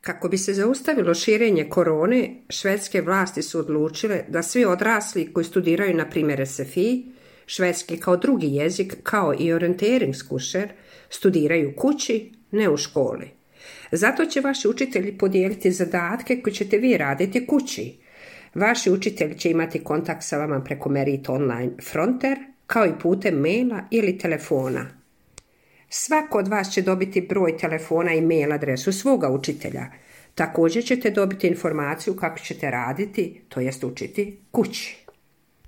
Kako bi se zaustavilo širenje korone, švedske vlasti su odlučile da svi odrasli koji studiraju na primjer SFI, švedski kao drugi jezik, kao i orienteringskurser, studiraju kući, ne u školi. Zato će vaši učitelji podijeliti zadatke koje ćete vi raditi kući. Vaši učitelji će imati kontakt sa vama preko Merit Online Fronter, kao i putem maila ili telefona. Svako od vas će dobiti broj telefona i mail adresu svoga učitelja. Također ćete dobiti informaciju kako ćete raditi, to jest učiti kući.